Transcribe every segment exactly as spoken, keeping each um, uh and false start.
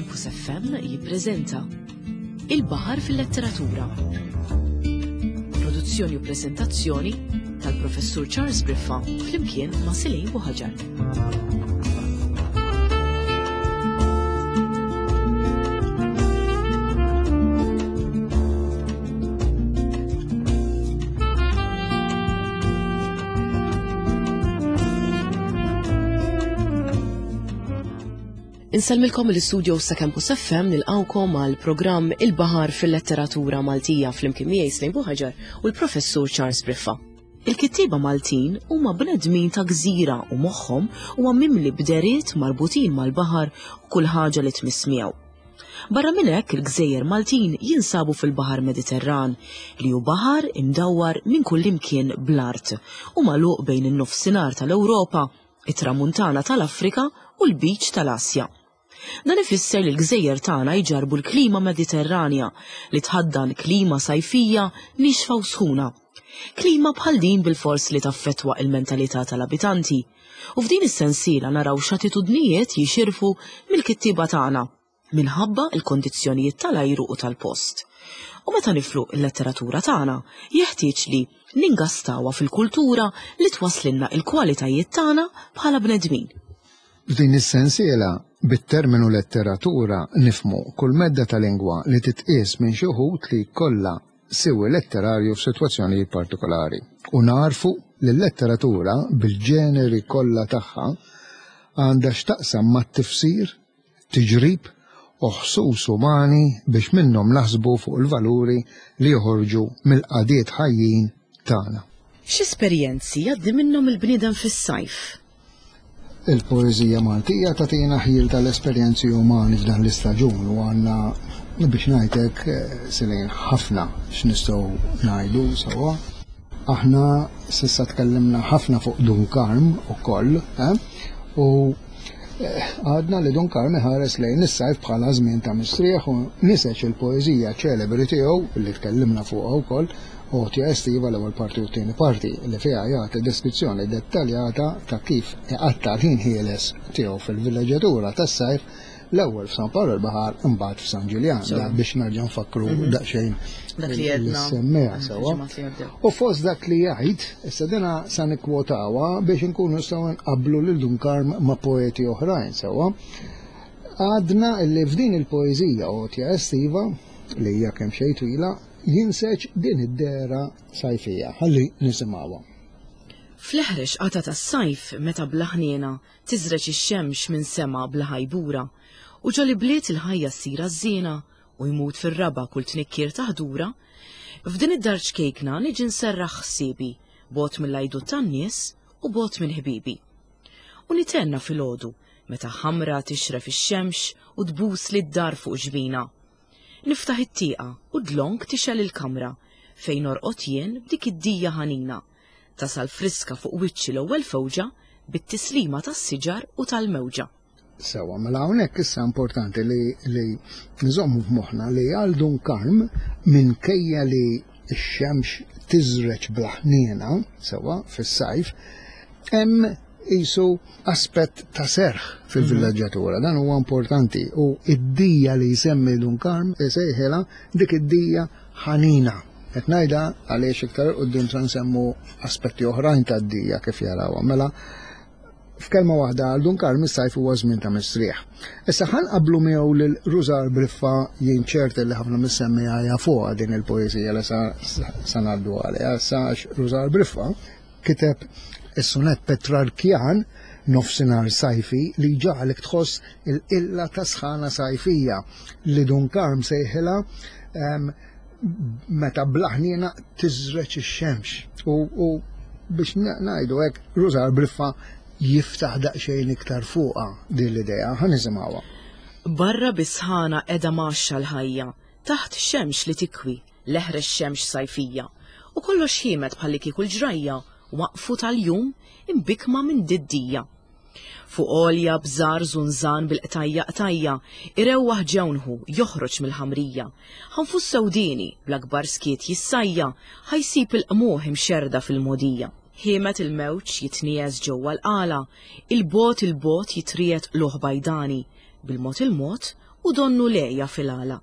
Campus F M jippreżenta Il-Baħar fil-Letteratura. Produzzjoni u preżentazzjoni tal-Professur Charles Briffa flimkien ma' Silej Buħaġar. Insellmilkom l-istudio sa' Campus F M nilqawkom għal programm Il-Baħar fil-Letteratura Maltija flimkien miegħi Slejn Buħaġar u l-Professur Charles Briffa. Il-kittieba Maltin huma bnedmin ta' gżira u moħħhom huwa mimli bderiet marbutin mal-baħar u kull ħaġa li tmiss miegħu. Barra minn hekk il-gżejjer Maltin jinsabu fil-Baħar Mediterran li hu baħar imdawwar minn kull imkien bl-art u magħluq bejn in-nofsinhar tal-Ewropa, it-tramuntana tal-Afrika u l-Beach tal-Asja. Dan ifisser li l-gżejjer tagħna jġarbu l-klima Mediterranja li tħaddan klima sajfija nixfa u sħuna. Klima bħal din bil-fors li taffettwa il-mentalità tal-abitanti. U f'din is-sensiela naraw x'attitudnijiet jixirfu mill-kittieba tagħna minħabba l-kondizzjonijiet tal-ajru u tal-post. U meta niflu l-letteratura tagħna, jeħtieġ li ningastawha fil-kultura li twaslinna l-kwalitajiet tagħna bħala bnedmin. F'din is-sensiela, bit-terminu letteratura nifmu kull medda ta' lingwa li titqies minn xi wħud li jkollha siwi letterarju f'sitwazzjonijiet partikolari. U narfu li l-letteratura bil-ġeneri kollha tagħha għandha x'taqsam mat-tifsir, tiġrib u ħsus umani biex minnhom naħsbu fuq il-valuri li joħorġu mill-qadiet ħajjin tagħna. X'esperjenzi jgħaddi minnhom il-bniedem fis-sajf? Il-poeżija Maltija tagħtina ħjiel tal-esperjenzi umani f'dan l-istaġun u għandna biex ngħidlek silejn ħafna x'nistgħu ngħidu sewwa. Aħna s'issa tkellimna ħafna fuq Dun Karm ukoll, eh? U għadna li Dun Karm iħares lejn is-sajf bħala żmien ta' mistrieħ u niseġ il-poeżija ċelebri tiegħu li tkellimna fuqha wkoll, Għotja Estiva l-ewwel parti u t-tieni parti, li fiha jagħti deskrizzjoni dettaljata ta' kif iqatta' l-ħin ħieles tiegħu fil-villeġġatura tas-sajf, l-ewwel f'San Pawl il-Baħar imbagħad f'San Ġiljan, Sewwa. da biex nerġa' nfakru Mhm. daqsxejn Dak li għedna. li semmeha Mhm, sewwa. ġimgħat li għaddew. U fost dak li jgħid, issa dina sa nikkwotawha biex inkunu nistgħu nqabblu lil Dun Karm ma' poeti oħrajn sewwa. Għadna li f'din il-poeżija Għotja Estiva, li hija kemm xejn twila, jinseġ din id-dehra sajfija. Ħalli nisimgħuha. Fl-eħrex qata tas-sajf meta bla ħniena tiżreġ ix-xemx minn sema bla ħajbura u ġol ibliet il-ħajja ssir għażżiena u jmut fir-raba' kull tnikkir ta' ħdura, f'din id-dar ċkejkna niġi nserraħ ħsiebi bogħod mill-għajdut tan-nies u bogħod minn ħbibi. U nitenna filgħodu meta ħamra tixref ix-xemx u tbus lid-dar fuq ġbina. Niftaħ it-tieqa u dlonk tixgħel il-kamra fejn norqod jien b'dik id-dija ħanina. Tasal friska fuq wiċċi l-ewwel fewġa bit-tislima tas-siġar u tal-mewġa. Sewwa, mela hawnhekk issa importanti li, li nżommu f'moħħna li għal Dun Karm minkejja li x-xemx tiżreġ bla ħniena, sewwa, fis-sajf, hemm qisu aspett ta' serħ fil-villeġġatura. Dan huwa importanti u id-dija li jsemmi Dun Karm isejħilha dik id-dija ħanina. Qed ngħidha għaliex iktar 'il quddiem se nsemmu aspetti oħrajn tad-dija kif jarawha. Mela f'kelma waħda għal Dun Karm is-sajf huwa żmien ta' mistrieħ. Issa ħanqablu miegħu lil Rużar Briffa, jien ċert li ħafna mis-semmiegħa jafuha din il-poeżija li sa, sa ngħaddu għaliha. Issa għax Rużar Briffa kiteb is-sonett Petrarkjan nofsinhar sajfi li ġagħlek tħoss il-qilla ta' sħana sajfija li Dun Karm sejħilha, ehm, meta bla ħniena tiżreġ ix-xemx. U, u biex ngħidu hekk, Rużar Briffa jiftaħ daqsxejn iktar fuqha din l-idea. Ħa nisimgħuha. Barra bisħana qiegħda maxxa l-ħajja, taħt xemx li tikwi, l-eħrex xemx sajfija, u kollox ħiemed bħalli kieku l-ġrajja waqfu tal-jum imbikma minn diddija. Fuq għolja bżar żunżan bil-qtajja qtajja, irewwaħ ġewnħu joħroġ mill-ħamrija. Ħanfus sewdini bl-akbar skiet jissajja, ħajsib il-qmuħ imxerda fil-modija. Ħiemet il-mewġ jitnies ġewwa l-qala, il-bot il-bot jitriet luħ bajdani, bil-mod il-mod u donnu lejja fil-għala.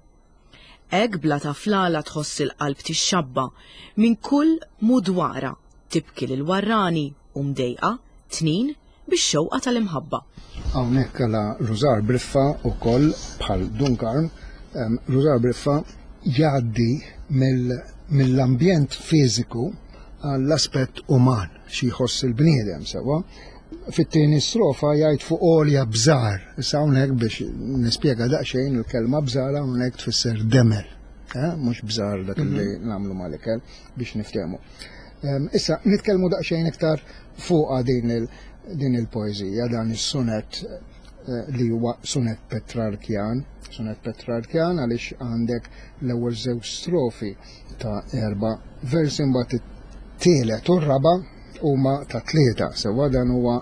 Hekk bla taflala tħoss il-qalb tixxabba minn kull mudwara, tibki lil warrani u mdejqa tnin bix-xewqa tal-imħabba. Hawnhekk għala Rużar Briffa ukoll bħal Dun Karm, Rużar Briffa jgħaddi mill-ambjent fiżiku għall-aspett uman xi jħoss il-bniedem sewwa. Fit-tieni strofa jgħid fuq għolja bżar. Issa hawnhekk biex nispjega daqsxejn, il-kelma bżar hawnhekk tfisser demel, eh? Mhux bżar dak li mhm. nagħmlu mal-ikel, biex niftehmu. Issa nitkellmu daqsxejn iktar fuq din il din il-poeżija, dan is-sunet eh, li huwa sunet Petrarkjan, sunet Petrarkjan għaliex għandek l-ewwel żewġ strofi ta' erba' versi, mbagħad it-tielet u r-raba' huma ta' tlieta. Sewwa, dan huwa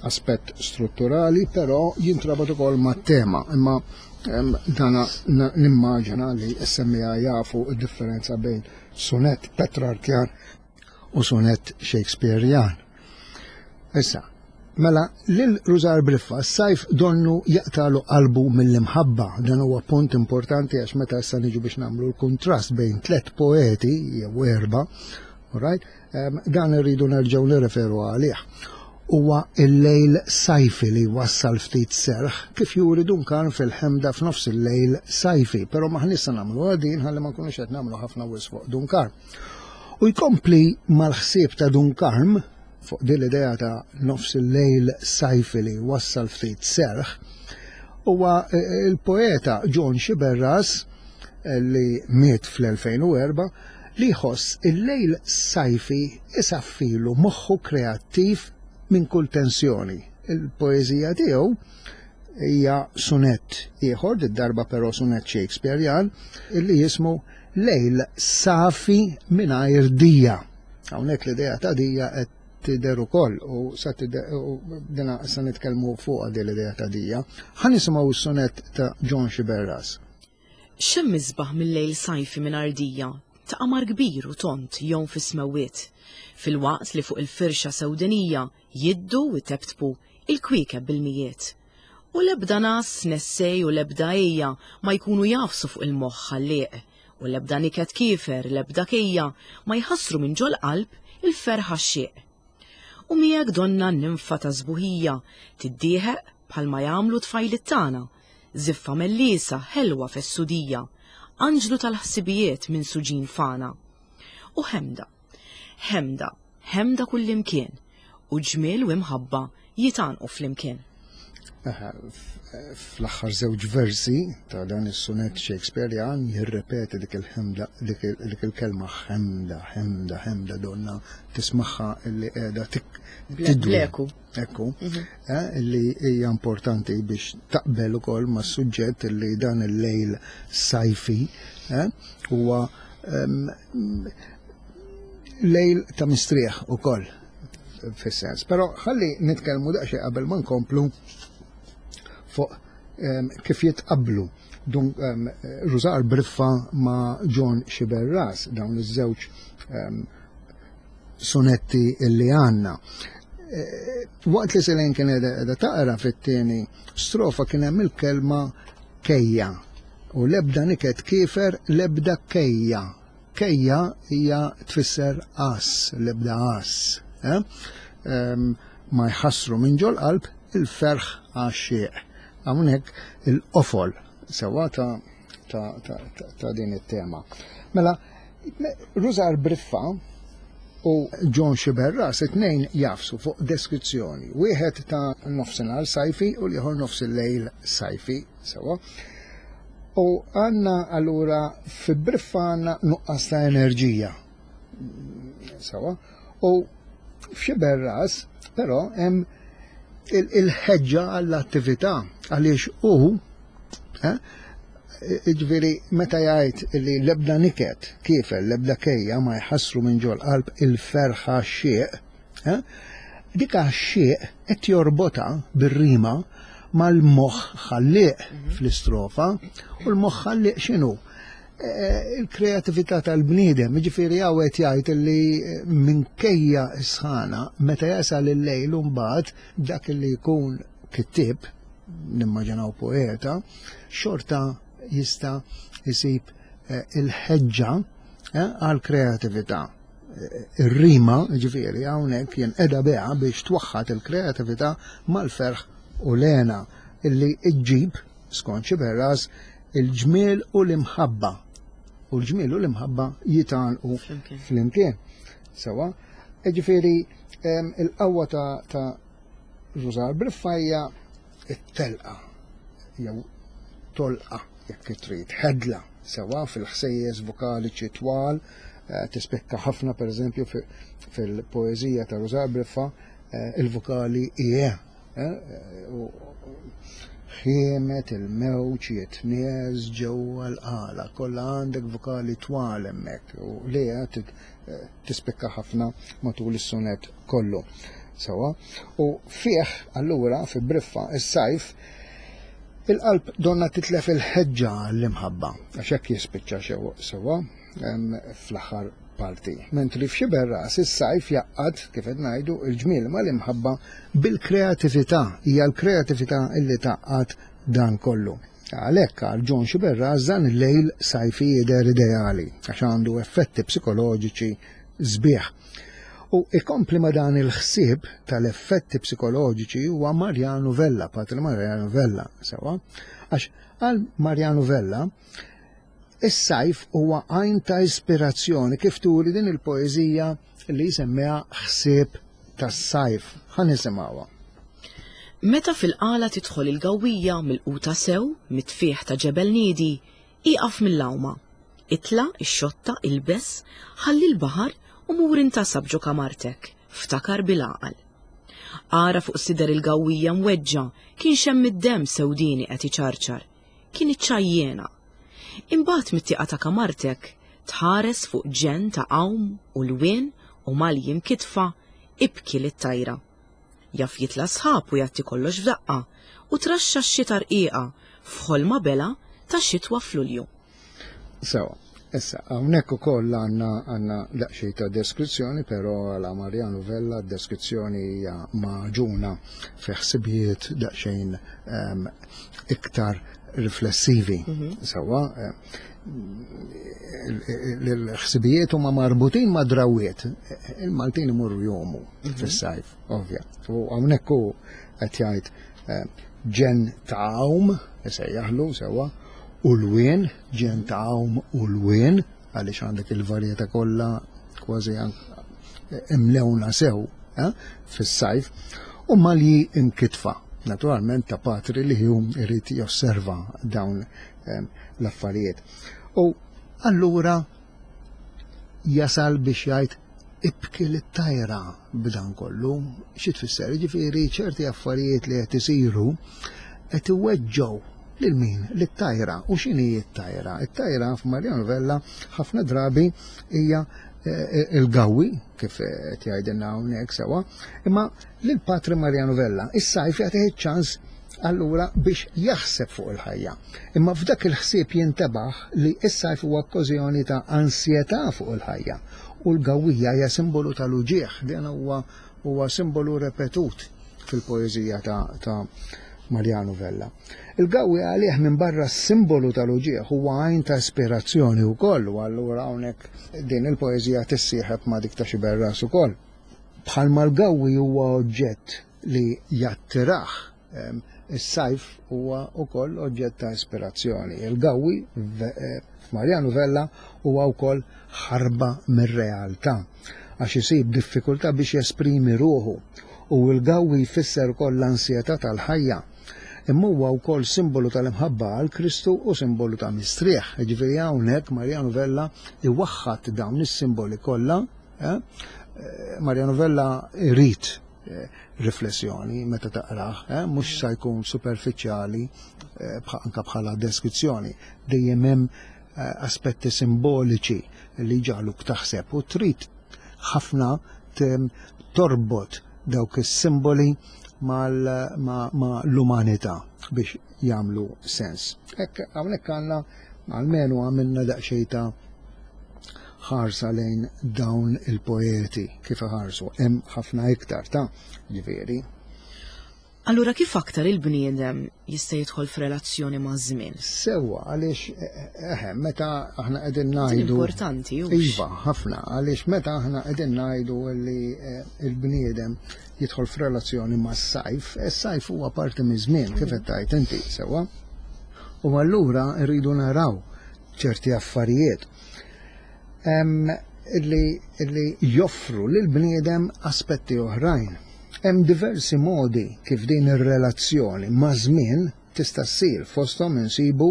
aspett strutturali, però jintrabat ukoll mat-tema. Imma dana nimmaġina li s-semmiegħa jafu d-differenza bejn sunet Petrarkjan u sunet Shakespearean. Issa, mela, lil Rużar Briffa s-sajf donnu jaqtalu qalbu mill-imħabba. Dan huwa punt importanti għax meta issa niġu biex nagħmlu l-kontrast bejn tlet poeti jew erba', right? Dan irridu nerġgħu nirreferu għalih. Huwa il-lejl sajfi li wassal ftit serħ, kif juri Dun Karm fil-ħemda f'nofs il-lejl sajfi, però maħniex se nagħmlu għadin ħalli ma nkunux qed nagħmlu ħafna wisq fuq Dun Karm. U jkompli mal-ħsieb ta' Dun Karm fuq din l-idea ta' nofs il-lejl sajfi li wassal ftit serħ, huwa eh, il-poeta John Sciberras eh, li miet fl-elfejn u erbgħa, li jħoss il-lejl sajfi isaffilu moħħu kreattiv minn kull tensjoni. Il-poeżija tiegħu hija sunet ieħor, darba però sunet Shakespearean, illi jismu Lejl Safi mingħajr dija. Hawnhekk l-idea ta' dija qed tidher ukoll u sa dina sa nitkellmu fuq din l-idea ta' dija. Ħa nisimgħu s-sunet ta' John Sciberras. X'hemm isbaħ mill-lejl sajfi mingħajr dija, ta' qamar kbir u tond jgħum fis-smewwiet, filwaqt li fuq il-firxa sewdenija jiddu u teptpu il-kwiekeb bil-mijiet? U lebda nas nessej u lebda ejja ma jkunu jagħfsu fuq il-moħħ ħallieq, u lebda niket kiefer, lebda kejja ma jħassru minn ġol qalb il-ferħ għaxxieq. U miegħek donna ninfa ta' sbuħija tiddieħeq bħalma jagħmlu tfajliet tagħna, żiffa mellisa ħelwa fessudija, anġlu tal-ħsibijiet minn suġin fana. U ħemda, ħemda, ħemda kullimkien, u ġmiel u imħabba jitgħannqu flimkien. Fl-aħħar żewġ versi ta' dan is-sunet Shakespearean jirrepeti dik il-ħemda, dik il-kelma ħemda, ħemda, ħemda, donna tismagħha illi qiegħda tidwi. Ekku, mhm. eh, illi hija importanti biex taqbel ukoll mas-suġġett illi dan il-lejl sajfi eh, huwa lejl ta' mistrieħ ukoll fis-sens. Però ħalli nitkellmu daqsxejn qabel ma nkomplu fuq kif jitqablu dun um, Rużar Briffa ma' John Sciberras, dawn iż-żewġ um, sonetti illi għandna. E, waqt li Selene kien qiegħda taqra, fit-tieni strofa kien hemm il-kelma kejja u lebda niket kiefer, lebda kejja. Kejja hija tfisser as, lebda as. Eh? Um, ma jħassru minn ġol qalb il-ferħ għaxxieq. Hawnhekk il-qofol sewwa ta' ta', ta, ta, ta din it-tema. Mela, Rużar Briffa u John Sciberras it-tnejn jagħfsu fuq deskrizzjoni. Wieħed ta' nofsinhar sajfi u l-ieħor nofs il-lejl sajfi, sewwa. U għandna allura fi Briffa għandna nuqqas ta' enerġija. Sewwa. U f'Sciberras però hemm il-ħeġġa għall-attività għaliex hu eh, ġifieri meta jgħid li lebda niket kiefer, lebda kejja ma jħassru minn ġol qalb il-ferħ għaxxieq, eh, dik għaxxieq qed jorbota bir-rima mal-moħħ ħallieq mhm. fl-istrofa, u l-moħħ ħallieq x'inhu? Eh, il-kreatività tal-bniedem, ġifieri hawn jgħid li minkejja sħana, meta jasal il-lejl mbagħad dak li jkun kittib nimmaġinaw poeta, xorta jista' jsib il-ħeġġa għal kreatività. Ir-rima, ġifieri, hawnhekk jinqeda biha biex twaħħad il-kreatività mal-ferħ u l-hena illi ġġib, skont Xiberras, il-ġmiel u l-imħabba. U l-ġmiel u l-imħabba jitgħanqu flimkien. Sewa, ġifieri il-qawwa ta' Rużar Briffa hija t-telqa jew tolqa jekk trid, ħedla sewa fil-ħsejjes vokaliċi twal, tispikka ħafna per eżempju fil-poeżija ta' Rużar Briffa il-vokali ie. Ħiemet il-mewġ jitnies ġewwa l-qala, kollha għandek vokali twal hemmhekk u lejha tispikka ħafna matul is-sunet kollu. Sewa, u fih allura fi Briffa is-sajf il-qalb donna titlef il-ħeġġa għall-imħabba, għax hekk jispiċċa sewa fl-aħħar parti. Mentri f'Xiberras is-sajf jaqgħad, kif qed ngħidu, il-ġmiel mal-imħabba bil-kreatività, hija l-kreatività illi taqgħad dan kollu. Għalhekk għal John Xiberras dan il-lejl sajfi jidher ideali għax għandu effetti psikoloġiċi sbieħ. U ikompli ma dan il-ħsieb tal-effetti psikoloġiċi huwa Mariano Vella, Patri Mariano Vella, sewa, għax għal Mariano Vella is-sajf huwa għajn ta' ispirazzjoni kif turi din il-poeżija li jsemmiha Ħsieb tas-sajf. Ħa nisimgħuha. Meta fil-qala tidħol il-gawwija mill-quta sew, mitfieħ ta' ġebel niedi, iqaf mill-għawma. Itla, ix-xotta, ilbes, ħalli l-baħar u mur intasab ġo kamartek, ftakar bil-għaqal. Ara fuq sider il-gawwija mweġġa, kien xemm id-demm sewdini qed iċarċar, kien iċċajjena. Imbagħad mit-tieqa ta' kamartek tħares fuq ġen ta' għawm u lwien u malji mkitfa, ibki lit-tajra. Jaf jitla' sħab u jagħti kollox f'daqqa u traxxa x-xita rqiqa f'ħolma bela ta' xitwa f'Lulju. Sewa, issa hawnhekk ukoll għandna għandna daqsxejn ta' deskrizzjoni, però għala Mariano Vella d-deskrizzjoni hija maġuna fi ħsibijiet daqsxejn iktar riflessivi. Sewa, l-ħsibijiet huma marbutin ma' drawiet. Il-Maltin imorru jomu fis-sajf, ovvja. U hawnhekk hu qed jgħid ġen ta' għawm, isejjaħlu sewa, u l-wien, ġen ta' għawm u l-wien, għaliex għandek il-varjetà kollha kważi imlewna sew fis-sajf, u malji imkitfa. Naturalment ta' patri li hu irid josserva dawn l-affarijiet. U allura jasal biex jgħid ibki lit-tajra b'dan kollu. Xi tfisser? Ġifieri ċerti affarijiet li qed isiru qed iweġġgħu lil min? Lit-tajra. U x'inhi t-tajra? It-tajra f'Mariano Vella ħafna drabi hija il-gawwi, kif qed jgħidilna hawnhekk sewa, imma lil Patri Mariano Vella is-sajf jagħtih iċ-ċans allura biex jaħseb fuq il-ħajja. Imma f'dak il-ħsieb jintebaħ li s-sajf huwa okkażjoni ta' ansjetà fuq il-ħajja u l-gawwija hija simbolu tal-uġieħ, din huwa huwa simbolu repetut fil-poeżija ta', ta Mariano Vella. Il-gawwi għalih minn barra simbolu tal-uġieħ huwa għajn ta' ispirazzjoni wkoll, u allura hawnhekk din il-poeżija tissieħeb ma' dik ta' Xiberras ukoll. Bħalma l-gawwi huwa oġġett li jattirah, is-sajf huwa wkoll oġġett ta' ispirazzjoni. Il-gawwi f'Mariano Vella huwa wkoll ħarba mir-realtà, għax isib diffikultà biex jesprimi ruħu, u l-gawwi jfisser ukoll l-ansjetà tal-ħajja. Imma huwa wkoll simbolu tal-imħabba għal Kristu u simbolu ta' mistrieħ. Jiġifieri hawnhekk Mariano Vella iwaħħad dawn is-simboli kollha. Mariano Vella irid riflessjoni meta taqrah, mhux sa jkun superfiċjali anke bħala deskrizzjoni. Dejjem hemm aspetti simboliċi li jġagħluk taħseb u trid ħafna torbot dawk is-simboli ma' l-umanità biex jagħmlu sens. Hekk hawnhekk għandna almenu għamilna daqsxejn ta' ħarsa lejn dawn il-poeti kif iħarsu. Hemm ħafna iktar ta' ġifieri. Allura kif aktar il-bniedem jista' jidħol f'relazzjoni ma' żmien? Sewwa, għaliex eħe, meta aħna qegħdin ngħidu importanti hux. Iva, ħafna, għaliex meta aħna qegħdin ngħidu li eh, il-bniedem jidħol f'relazzjoni mas-sajf, is-sajf huwa parti miż-żmien, kif qed tgħid inti, sewwa. U allura rridu naraw ċerti affarijiet Em, illi, illi joffru lil bniedem aspetti oħrajn. Hemm diversi modi kif din ir-relazzjoni ma' żmien tista' ssir, fosthom insibu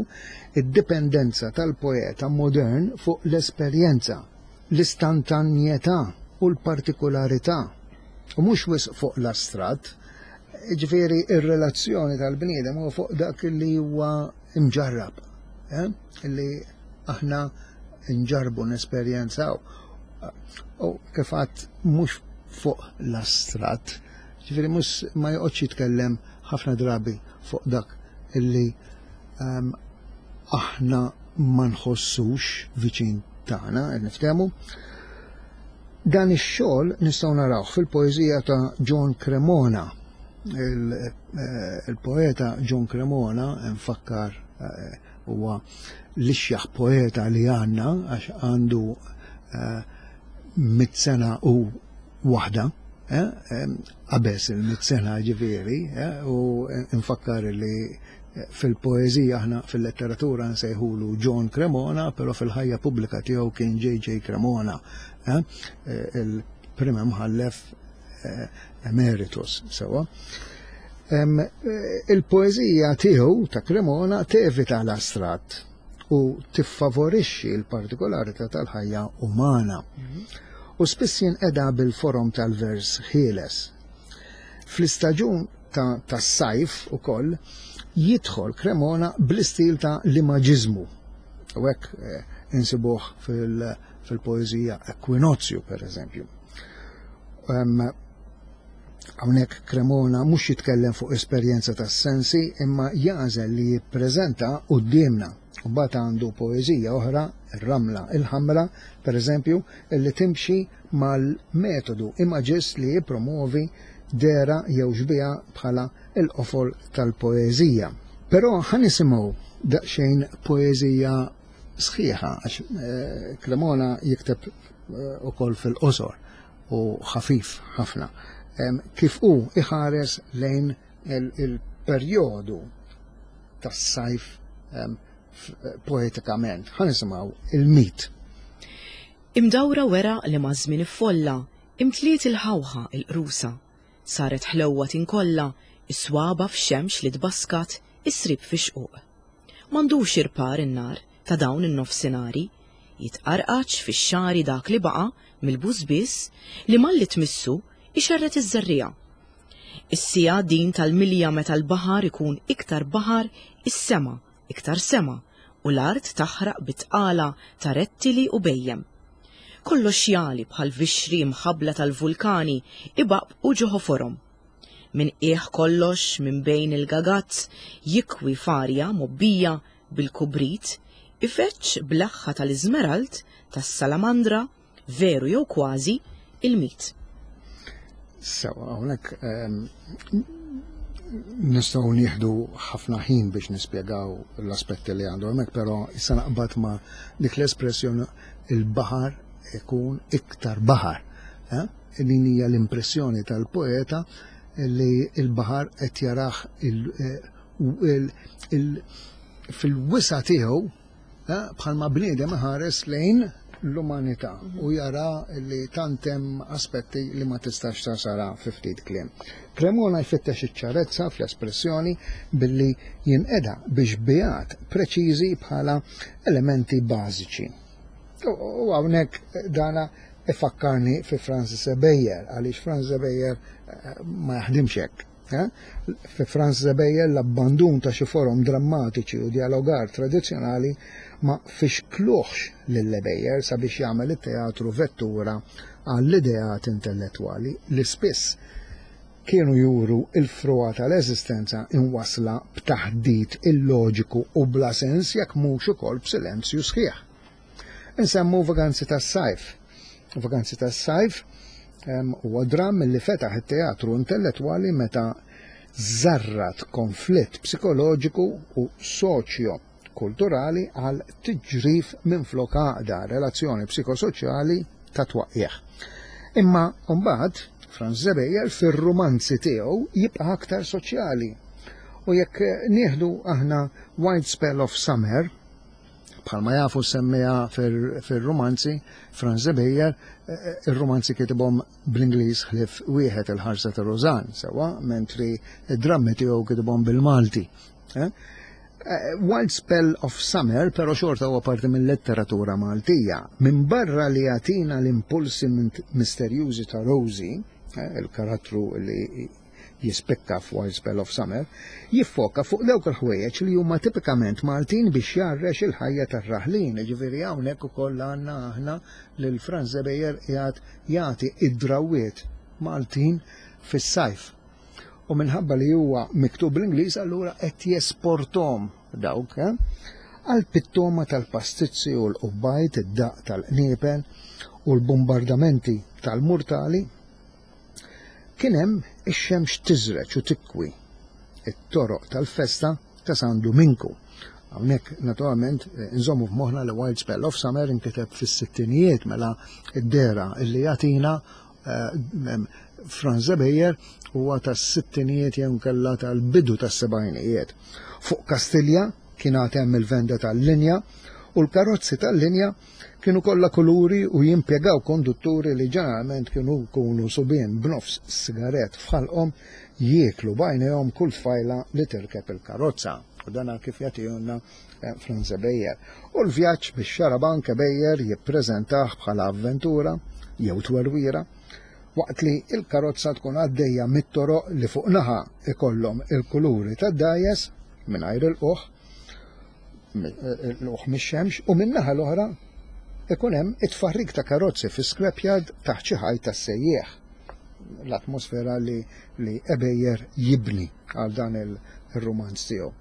id-dipendenza tal-poeta modern fuq l-esperjenza, l-istantanjetà u l-partikolarità, u mhux wisq fuq l-astratt. Ġifieri ir-relazzjoni tal-bniedem huwa fuq dak li huwa imġarrab, eh? Li aħna nġarbu, nesperjenzaw. U kif għadt, mhux fuq l-astratt, ġifieri mhux ma joqgħodx jitkellem ħafna drabi fuq dak illi um, aħna ma nħossux viċin tagħna, qed niftehmu. Dan ix-xogħol nistgħu narawh fil-poeżija ta' John Cremona. Il-poeta John Cremona, nfakkar, eh, huwa l-ixjaħ poeta li għandna, għax għandu eh, mitt sena u waħda, qabeż il-mitt sena ġifieri, u nfakkar li fil-poeżija aħna fil-letteratura nsejħulu John Cremona, però fil-ħajja pubblika tiegħu kien J J Cremona, il-prim imħallef emeritus, sewwa. Il-poeżija tiegħu ta' Cremona tevita l-astratt u tiffavorixxi l-partikolarità tal-ħajja umana. U spiss jinqeda bil-forom tal-vers ħieles. Fl-istaġun tas-sajf ukoll jidħol Cremona bl-istil ta' l-imaġiżmu. U hekk insibuh fil-poeżija Ekwinozju, per eżempju. Hawnhekk Cremona mhux jitkellem fuq esperjenza tas-sensi, imma jagħżel li jippreżenta quddiemna. U mbagħad għandu poeżija oħra, ir-Ramla il-Ħamra, per eżempju, illi timxi mal-metodu imaġist li jippromovi dera jew xbieha bħala il-qofol tal-poeżija. Però ħa nisimgħu daqsxejn poeżija sħiħa, għax Cremona jikteb ukoll fil-qosor u ħafif ħafna. Kif hu iħares lejn il-perjodu tas-sajf poetikament. Ħa nisimgħu il-mit. Imdawra wera li ma' żmien iffolla, imtliet il-ħawħa il-qrusa, saret ħlewwa tinkolla, is-swaba f'xemx li tbaskat, isrib fi xquq. M'għandux irpar in-nar ta' dawn in-nofsinari, jitqarqaċ fix-xari dak li baqa' mill-bużbiss li malli tmissu ixerret iż-żerriegħa. Is-sija din tal-milja meta l-baħar ikun iktar baħar, is-sema iktar sema, u l-art taħraq bitqala ta' rettili u bejjem. Kollox jali bħal vixri mħabbla tal-vulkani ibaqbqu ġoħoforhom. Min qiegħ kollox minn bejn il-gagazz jikwi farja mobbija bil-kubrit, ifeċċ bl-aħħa tal-iżmeralt tas-salamandra, veru jew kważi, il-mit. Sewa, hawnhekk ehm, nistgħu nieħdu ħafna ħin biex nispjegaw l-aspetti li għandu hemmhekk, però issa naqbad ma' dik l-espressjoni il-baħar ikun iktar baħar. Eh? Din hija l-impressjoni tal-poeta li l-baħar qed jarah fil-wisa' tiegħu, eh, bħalma bniedem ħares lejn l-umanità u jara li tant hemm aspetti li ma tistax tasara fi ftit kliem. Cremona jfittex iċ-ċarezza fl-espressjoni billi jinqeda biex bijat preċiżi bħala elementi bażiċi. U hawnhekk dana ifakkarni fi Francis Ebejer, għaliex Francis Ebejer ma jaħdimx hekk. Fi Francis Ebejer l-abbandun ta' xi forom drammatiċi u dialogar tradizzjonali ma fixkluħx lil Ebejer sabiex jagħmel it-teatru vettura għall-ideat intellettwali li spiss kienu juru il-frua tal-eżistenza inwasla b'taħdit illoġiku u bla sens jekk mhux ukoll b'silenzju sħiħ. Insemmu Vaganzi tas-Sajf. Vaganzi tas-Sajf huwa dramm li fetaħ it-teatru intellettwali meta żarrat konflitt psikoloġiku u soċjo-kulturali għal tiġrif minflok għaqda, relazzjoni psikosoċjali ta' twaqqieħ. Imma mbagħad Franz Ebejer fir-rumanzi tiegħu jibqa' aktar soċjali. U jekk nieħdu aħna Wild Spell of Summer, bħalma jafu semmija fir-rumanzi, Franz Ebejer, ir-rumanzi kitibhom bl-Ingliż ħlief wieħed, Il-Ħarsa ta' Rożan, sewwa, mentri id-drammi tiegħu kitibhom bil-Malti. Eh? Wild Spell of Summer, però xorta huwa parti mill-letteratura Maltija. Min barra li jagħtina l-impulsi misterjużi ta' Rosie, eh, il-karattru li jispikka f'Wild Spell of Summer, jiffoka fuq dawk il-ħwejjeġ li huma tipikament Maltin biex jgħarrex il-ħajja tar-raħlin. Ġifieri hawnhekk ukoll għandna aħna lil Franz Ebejer qiegħed jagħti id-drawiet Maltin fis-sajf. U minħabba li huwa miktub bl-Ingliż, allura qed jesportom dawk, eh? Għal pittoma tal-pastizzi u l-qubbajt, id-daq tal-qniepel u l-bombardamenti tal-murtali, kien hemm ix-xemx tiżreġ u tikwi it-toroq tal-festa ta' San Duminku. Hawnhekk naturalment nżommu f'moħħna li Wild Spell of Summer inkiteb fis-sittinijiet, mela id-dera illi jagħtina eh, Franz Ebejer huwa tas-sittinijiet jew kella tal-bidu tas-sebgħinijiet. Fuq Kastilja kien għad hemm il-venda tal-linja u l-karozzi tal-linja kienu kollha kuluri u jimpjegaw kondutturi li ġeneralment kienu jkunu subien b'nofs sigaret f'ħalqhom jieklu b'għajnejhom kull tfajla li tirkeb il-karozza. U dan kif jagħtihulna eh, Franz Ebejer. U l-vjaġġ bix-xarabank Ebejer jippreżentah bħala avventura jew twerwira, waqt li il-karozza tkun għaddejja mit-toroq li fuq naħa ikollhom il-kuluri tad-dajes mingħajr il-qoħ, l-uħ mix-xemx, u min-naħa l-oħra ikun hemm it-tfarrik ta' karozzi fi scrapyard taħt xi ħajt tas-sejjieħ. L-atmosfera li, li Ebejer jibni għal dan il-romanz tiegħu.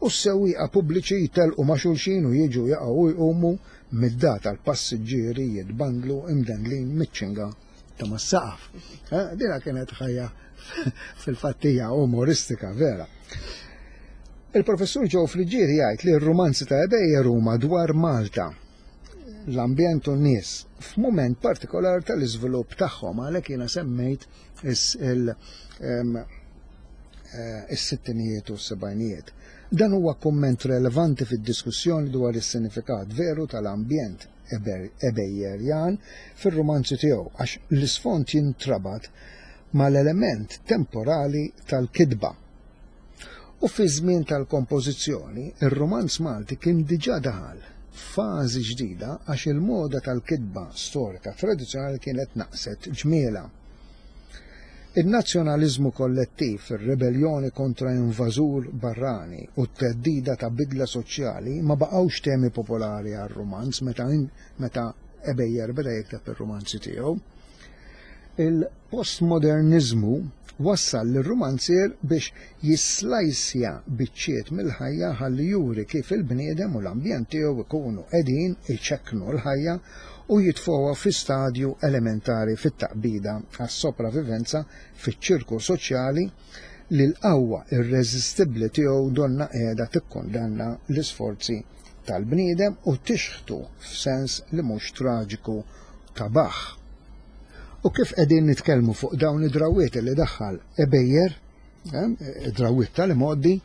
U s-sewwieqa pubbliċi jtelqu ma' xulxin u jiġu jaqgħu u jqumu mid-data l-passiġġieri jitbandlu imdendlin miċ-ċinga ta' mas-saqaf. Eh, dina kienet ħajja fil-fattija umoristika vera. Il-professur Joe Friggieri jgħid li r-romanzi ta' Ebejer huma dwar Malta, l-ambjent u n-nies f'mument partikolar tal-iżvilupp tagħhom, għalhekk jiena semmejt is-sittinijiet u s-sebgħinijiet. Dan huwa kumment relevanti fid-diskussjoni dwar is-sinifikat veru tal-ambjent Ebejerjan fir-romanzi tiegħu, għax l-isfond jintrabat mal-element temporali tal-kitba. U fi żmien tal-kompożizzjoni, ir-romanz Malti kien diġà daħal f'fażi ġdida għax il-moda tal-kitba storika tradizzjonali kienet naqset ġmiela. Il-nazzjonaliżmu kollettiv, ir-rebellioni kontra invażur barrani u t-teddida ta' bidla soċjali ma baqgħux temi popolari għar-romanz meta, meta Ebejer beda jikteb ir-romanzi tiegħu. Il-postmodernizmu wassal lir-romanzier biex jislajsja biċċiet mill-ħajja ħalli juri kif il-bniedem u l-ambjent tiegħu ikunu qegħdin iċekknu l-ħajja u jitfgħuha fi stadju elementari fit-taqbida għas-sopravivenza fiċ-ċirku soċjali li l-qawwa irreżistibbli tiegħu donna qiegħda tikkundanna l-isforzi tal-bniedem u tixħtu f'sens li mhux traġiku ta' baħ. U kif qegħdin nitkellmu fuq dawn id-drawiet li daħħal Ebejer, eh, id-drawiet tal-imgħoddi,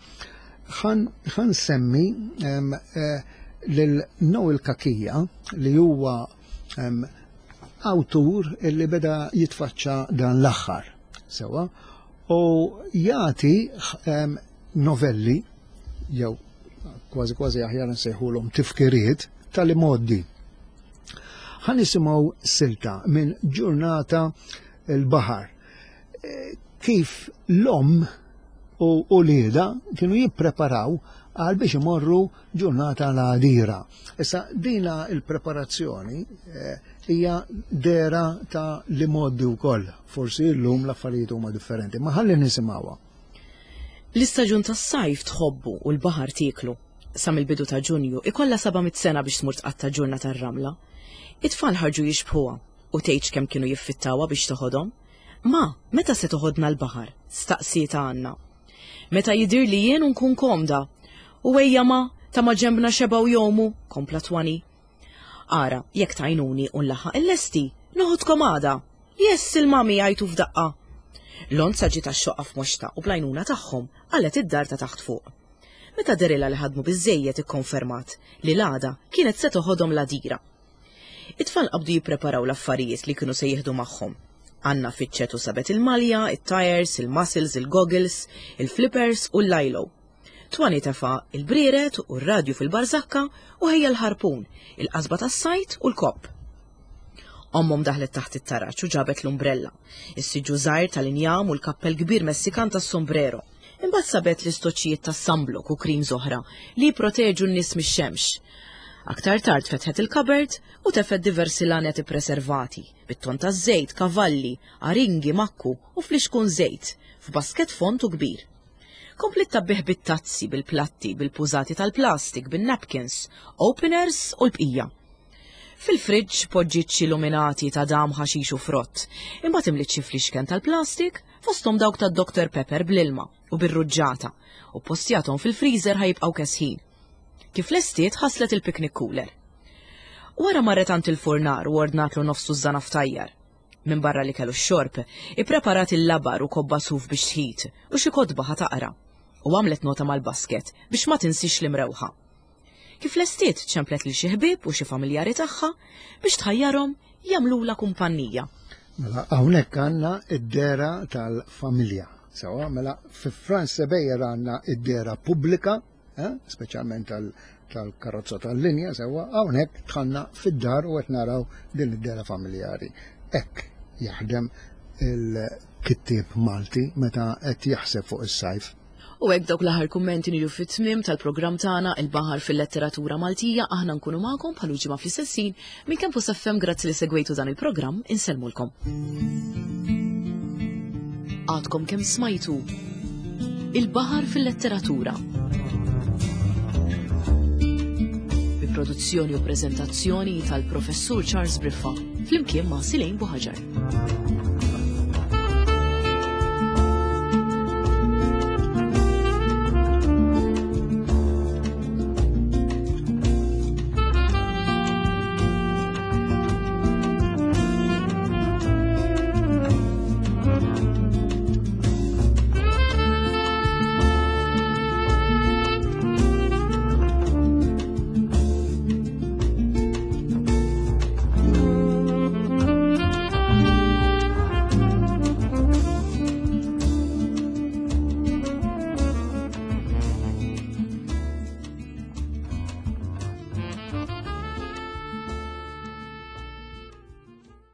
ħan semmi eh, lil Noel Cachia li huwa awtur illi beda jitfaċċa dan l-aħħar. Sewa, u jagħti novelli jew kważi kważi aħjar nsejħulhom tifkiriet tal-imgħoddi. Ħa nisimgħu silta minn Ġurnata l-Baħar. Kif l-omm u uliedha kienu jippreparaw għal biex imorru ġurnata l-għadira. Issa dina il-preparazzjoni hija dera ta' l-imgħoddi wkoll. Forsi llum l-affarijiet huma differenti, ma ħalli nisimgħuha. L-istaġun tas-sajf tħobbu u l-baħar tieklu. Sa mill-bidu ta' Ġunju ikollha seba' mitt sena biex tmur tqatta' ġurnata r-ramla. It-tfal ħarġu jixbħuha u tgħidx kemm kienu jiffittawha biex toħodhom. Ma, meta se toħodna l-baħar? Staqsietha Anna. Meta jidhirli jien u nkun komda. U ejja ma, ta' ma ġembna xebgħu jgħumu, kompla Twani. Ara, jekk tgħinuni u nlaħħaq illesti, noħodkom għada. Yes, il-mami, għajtu f'daqqa. Lonza ġiet għax-xoqqa f'moxtha u bl-għajnuna tagħhom qalgħet id-dar ta' taħt fuq. Meta dehrilha li ħadmu biżżejjed, ikkonfermat li l-għada kienet se toħodhom l-Għadira. It-tfal qabdu jippreparaw l-affarijiet li kienu se jieħdu magħhom. Anna fittxet u sabet il-malja, it-tires, il-muscles, il-goggles, il-flippers u l-lilo. Twani tefa il-brieret u r-radju fil-barżakka u ħejja l-ħarpun, il-qasba tas-sajd u l-kopp. Ommhom daħlet taħt it-taraġ u ġabet l-umbrella, is-siġġu żgħir tal-injam u l-kappell kbir Messikan tas-sombrero. Imbagħad sabet l-istoċċijiet tas-sunblock u creams oħra li jipproteġu n-nies mix-xemx. Aktar tard fetħet il-cupboard u tefgħet diversi laned ippreservati, bit-ton taż-żejt, kavalli, aringi, makku u flixkun żejt, f'basket fond u kbir. Kompliet tgħabbih bit-tazzi, bil-platti, bil-pużati tal-plastik, bin-napkins, openers u l-bqija. Fil-friġġ poġġiet xi luminati ta' dam, ħaxix u frott. Imbagħad imliet xi flixken tal-plastik, fosthom dawk tad Doctor Pepper bl-ilma u bir-ruġġata, u postjathom fil-freezer ħa jibqgħu kesħin. Kif lestiet, ħaslet il-picnic cooler. Wara marret għand il-furnar u ordnatlu nofs tużżana ftajjar. Minn barra li kellu x-xorb, ippreparat il-labar u kobba suf biex tħit u xi kotba ħa taqra. U għamlet nota mal-basket biex ma tinsix l-imrewħa. Kif lestiet, ċemplet lil xi ħbieb u xi familjari tagħha biex tħajjarhom jagħmlulha kumpanija. Mela hawnhekk għandna id-dehra tal-familja. Sewwa, mela fi Frans Ebejer għandna id-dehra pubblika, eh, speċjalment tal-karozza tal-linja, sewwa, hawnhekk dħalna fid-dar u qed naraw din id-dehra familjari. Hekk jaħdem il-kittieb Malti meta qed jaħseb fuq is-sajf. U hekk dawk l-aħħar kummenti niġu fit-tmiem tal-programm tagħna, Il-Baħar fil-Letteratura Maltija. Aħna nkunu magħkom bħal ġimgħa fl-istess ħin minn Campus F M. Grazzi li segwejtu dan il-programm, insellmulkom. Għadkom kemm smajtu Il-Baħar fil-Letteratura. Bi produzzjoni u preżentazzjoni tal-Professur Charles Briffa flimkien ma' Silejn Buħaġar.